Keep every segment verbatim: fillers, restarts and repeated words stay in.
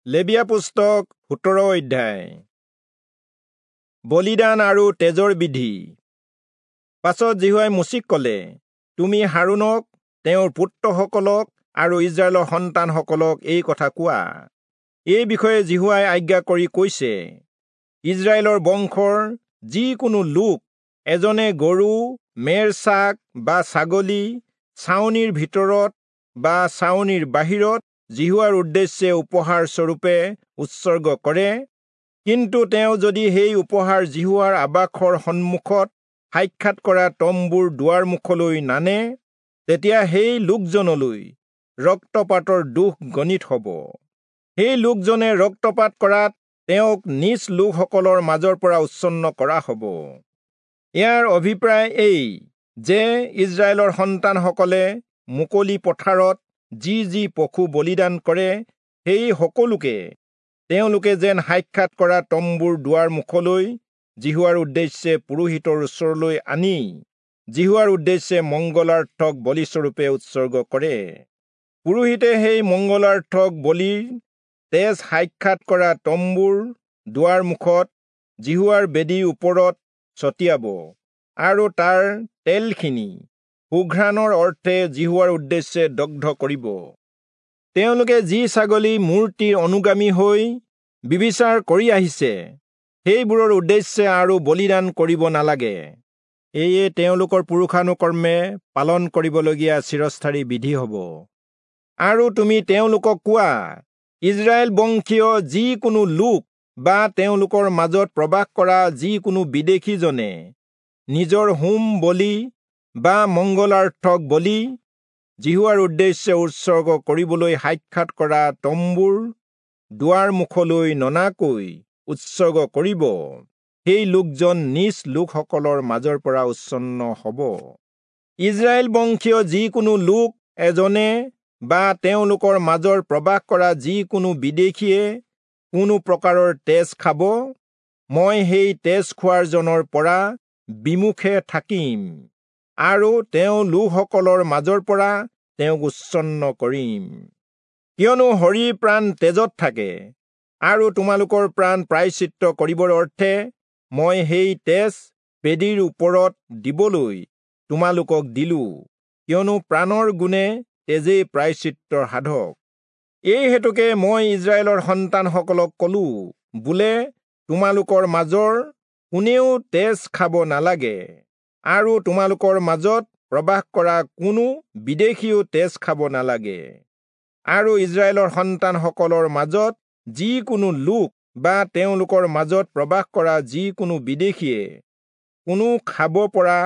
লেবীয়া পুস্তক সোতৰ অধ্যায়। বলিদান আৰু তেজৰ বিধি। পাছত যিহোৱাই মোচিক ক'লে, তুমি হাৰোণক, তেওঁৰ পুত্ৰসকলক আৰু ইস্ৰায়েলৰ সন্তানসকলক এই কথা কোৱা। এই বিষয়ে যিহোৱাই আজ্ঞা কৰি কৈছে, ইস্ৰায়েলৰ বংশৰ যিকোনো লোক এজনে গৰু, মেৰ ছাগ বা ছাগলী ছাউনিৰ ভিতৰত বা ছাউনিৰ বাহিৰত যিহোৱাৰ উদ্দেশ্যে উপহাৰ স্বৰূপে উৎসৰ্গ কৰে, কিন্তু তেওঁ যদি সেই উপহাৰ যিহোৱাৰ আবাসৰ সন্মুখত সাক্ষাৎ কৰা তম্বুৰ দুৱাৰ মুখলৈ নানে, তেতিয়া সেই লোকজনলৈ ৰক্তপাতৰ দোষ গণিত হ'ব। সেই লোকজনে ৰক্তপাত কৰাত তেওঁক নিজ লোকসকলৰ মাজৰ পৰা উচ্ছন্ন কৰা হ'ব। ইয়াৰ অভিপ্ৰায় এই যে ইস্ৰায়েলৰ সন্তানসকলে মুকলি পথাৰত যি যি পশু বলিদান কৰে, সেই সকলোকে তেওঁলোকে যেন সাক্ষাৎ কৰা তম্বুৰ দুৱাৰ মুখলৈ যিহোৱাৰ উদ্দেশ্যে পুৰোহিতৰ ওচৰলৈ আনি যিহোৱাৰ উদ্দেশ্যে মংগলাৰ্থক বলিস্বৰূপে উৎসৰ্গ কৰে। পুৰোহিতে সেই মংগলাৰ্থক বলিৰ তেজ সাক্ষাৎ কৰা তম্বুৰ দুৱাৰ মুখত যিহোৱাৰ বেদীৰ ওপৰত ছটিয়াব আৰু তাৰ তেলখিনি সুঘ্ৰাণৰ অৰ্থে যিহোৱাৰ উদ্দেশ্যে দগ্ধ কৰিব। তেওঁলোকে যি ছাগলী মূৰ্তিৰ অনুগামী হৈ বিবিচাৰ কৰি আহিছে, সেইবোৰৰ উদ্দেশ্যে আৰু বলিদান কৰিব নালাগে। এয়ে তেওঁলোকৰ পুৰুষানুকৰ্মে পালন কৰিবলগীয়া চিৰস্থায়ী বিধি হ'ব। আৰু তুমি তেওঁলোকক কোৱা, ইস্ৰায়েল বংশীয় যিকোনো লোক বা তেওঁলোকৰ মাজত প্ৰবাস কৰা যিকোনো বিদেশীজনে নিজৰ হোম বলি বা মংগলাৰ্থক বলি যিহোৱাৰ উদ্দেশ্যে উৎসৰ্গ কৰিবলৈ সাক্ষাৎ কৰা তম্বুৰ দুৱাৰ মুখলৈ ননাকৈ উৎসৰ্গ কৰিব, সেই লোকজন নিজ লোকসকলৰ মাজৰ পৰা উচ্ছন্ন হ'ব। ইস্ৰায়েল বংশীয় যিকোনো লোক এজনে বা তেওঁলোকৰ মাজৰ প্ৰবাস কৰা যিকোনো বিদেশীয়ে কোনো প্ৰকাৰৰ তেজ খাব, মই সেই তেজ খোৱাজনৰ পৰা বিমুখে থাকিম আৰু তেওঁ লোকসকলৰ মাজৰ পৰা তেওঁক উচ্ছন্ন কৰিম। কিয়নো শৰীৰ প্ৰাণ তেজত থাকে, আৰু তোমালোকৰ প্ৰাণ প্ৰায়শ্চিত্ত কৰিবৰ অৰ্থে মই সেই তেজ বেদীৰ ওপৰত দিবলৈ তোমালোকক দিলো, কিয়নো প্ৰাণৰ গুণে তেজেই প্ৰায়শ্চিত্তৰ সাধক। এই হেতুকে মই ইস্ৰায়েলৰ সন্তানসকলক কলো, বোলে তোমালোকৰ মাজৰ কোনেও তেজ খাব নালাগে, আৰু তোমালোকৰ মাজত প্ৰবাস কৰা কোনো বিদেশীও তেজ খাব নালাগে। আৰু ইস্ৰায়েলৰ সন্তানসকলৰ মাজত যিকোনো লোক বা তেওঁলোকৰ মাজত প্ৰবাস কৰা যিকোনো বিদেশীয়ে কোনো খাব পৰা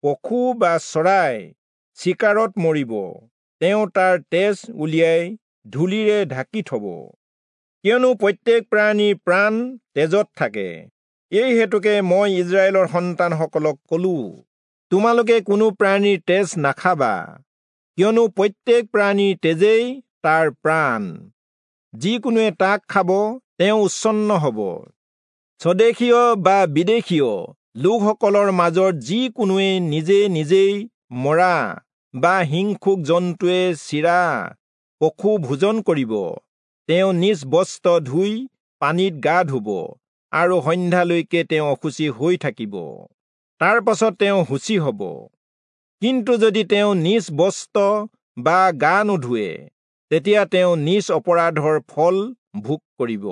পশু বা চৰাই চিকাৰত মৰিব, তেওঁ তাৰ তেজ উলিয়াই ধূলিৰে ঢাকি থব। কিয়নো প্ৰত্যেক প্ৰাণীৰ প্ৰাণ তেজত থাকে। এই হেতুকে মই ইস্ৰায়েলৰ সন্তানসকলক কলো, তোমালোকে কোনো প্ৰাণীৰ তেজ নাখাবা, কিয়নো প্ৰত্যেক প্ৰাণীৰ তেজেই তাৰ প্ৰাণ। যিকোনোৱে তাক খাব, তেওঁ উচ্ছন্ন হ'ব। স্বদেশীয় বা বিদেশীয় লোকসকলৰ মাজত যিকোনোৱে নিজে নিজেই মৰা বা হিংসুক জন্তুৱে চিৰা পশু ভোজন কৰিব, তেওঁ নিজ বস্ত্ৰ ধুই পানীত গা ধুব আৰু সন্ধ্যালৈকে তেওঁ অশুচি হৈ থাকিব, তাৰ পাছত তেওঁ শুচি হ'ব। কিন্তু যদি তেওঁ নিজ বস্ত্ৰ বা গা নোধোৱে, তেতিয়া তেওঁ নিজ অপৰাধৰ ফল ভোগ কৰিব।